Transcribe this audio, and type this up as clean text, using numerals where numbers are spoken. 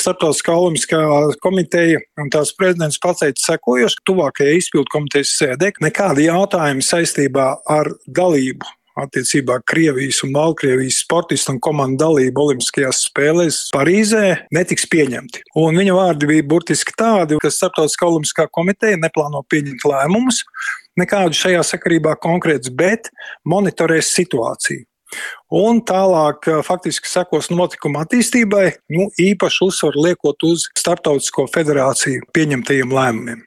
Starptautiskā olimpiskā komiteja un tās prezidents pateica sekojoši, tuvākajai izpildu komitejas sēdē nekādi jautājumi saistībā ar dalību attiecībā Krievijas un Baltkrievijas sportistu un komandu dalību olimpiskajās spēlēs Parīzē netiks pieņemti. Un viņa vārdi bija burtiski tādi, ka Starptautiskā olimpiskā komiteja neplāno pieņemt lēmumus, nekādu šajā sakarībā konkrēts, bet monitorēs situāciju. Un tālāk faktiski sekos notikuma attīstībai, īpaši uzsvaru liekot uz Starptautisko federāciju pieņemtajiem lēmumiem.